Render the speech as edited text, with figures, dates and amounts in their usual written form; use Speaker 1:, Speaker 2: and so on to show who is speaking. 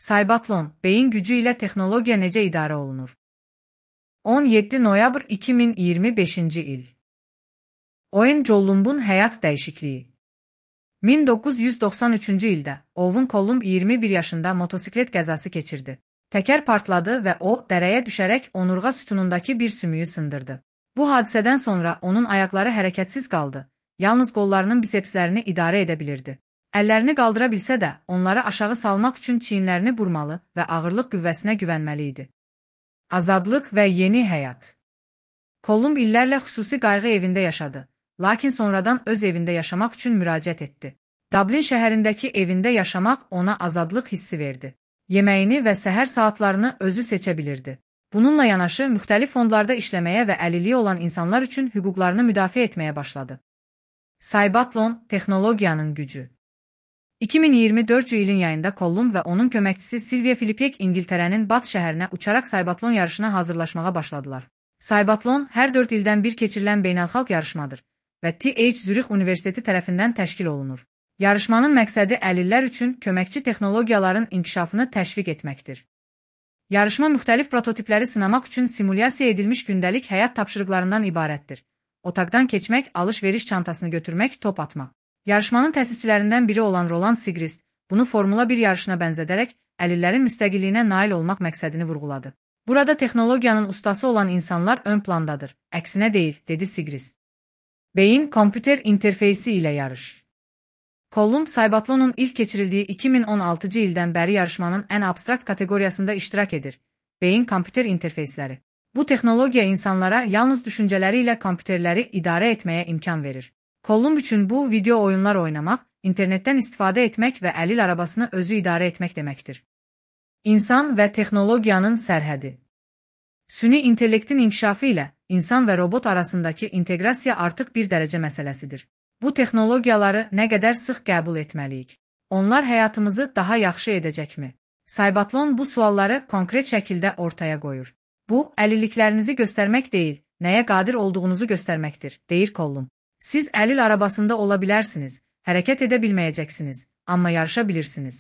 Speaker 1: Cybathlon, beyin gücü ilə texnologiya necə idarə olunur? 17 noyabr 2025-ci il. Oyun Collumb'un həyat dəyişikliyi. 1993-cü ildə Owen Columb 21 yaşında motosiklet qəzası keçirdi. Təkər partladı və o, dərəyə düşərək onurğa sütunundakı bir sümüyü sındırdı. Bu hadisədən sonra onun ayaqları hərəkətsiz qaldı. Yalnız qollarının bisepslərini idarə edə bilirdi. Əllərini qaldıra bilsə də, onları aşağı salmaq üçün çiyinlərini burmalı və ağırlıq qüvvəsinə güvənməli idi. Azadlıq və yeni həyat. Columb illərlə xüsusi qayğı evində yaşadı, lakin sonradan öz evində yaşamaq üçün müraciət etdi. Dublin şəhərindəki evində yaşamaq ona azadlıq hissi verdi. Yeməyini və səhər saatlarını özü seçə bilirdi. Bununla yanaşı, müxtəlif fondlarda işləməyə və əlilliyi olan insanlar üçün hüquqlarını müdafiə etməyə başladı. Cybathlon, texnologiyanın gücü. 2024-cü ilin yayında Columb və onun köməkçisi Sylvia Filipek İngiltərənin Bath şəhərinə uçaraq Cybathlon yarışına hazırlaşmağa başladılar. Cybathlon hər 4 ildən bir keçirilən beynəlxalq yarışmadır və TH Zürix Universiteti tərəfindən təşkil olunur. Yarışmanın məqsədi əlillər üçün köməkçi texnologiyaların inkişafını təşviq etməkdir. Yarışma müxtəlif prototipləri sınamaq üçün simulyasiya edilmiş gündəlik həyat tapşırıqlarından ibarətdir. Otaqdan keçmək, alış-veriş çantasını götürmək, top atmaq. Yarışmanın təsisçilərindən biri olan Roland Sigrist, bunu Formula 1 yarışına bənzədərək, əlillərin müstəqilliyinə nail olmaq məqsədini vurğuladı. Burada texnologiyanın ustası olan insanlar ön plandadır, əksinə deyil, dedi Sigrist. Beyin-kompüter interfeysi ilə yarış. Columb, Cybathlon'un ilk keçirildiyi 2016-cı ildən bəri yarışmanın ən abstrakt kateqoriyasında iştirak edir. Beyin-kompüter interfeysləri. Bu texnologiya insanlara yalnız düşüncələri ilə kompüterləri idarə etməyə imkan verir. Columb üçün bu, video oyunlar oynamaq, internetdən istifadə etmək və əlil arabasını özü idarə etmək deməkdir. İnsan və texnologiyanın sərhədi. Süni intellektin inkişafı ilə insan və robot arasındakı inteqrasiya artıq bir dərəcə məsələsidir. Bu texnologiyaları nə qədər sıx qəbul etməliyik? Onlar həyatımızı daha yaxşı edəcəkmi? Cybathlon bu sualları konkret şəkildə ortaya qoyur. Bu, əlilliklərinizi göstərmək deyil, nəyə qadir olduğunuzu göstərməkdir, deyir Columb. Siz əlil arabasında ola bilərsiniz, hərəkət edə bilməyəcəksiniz, amma yarışa bilirsiniz.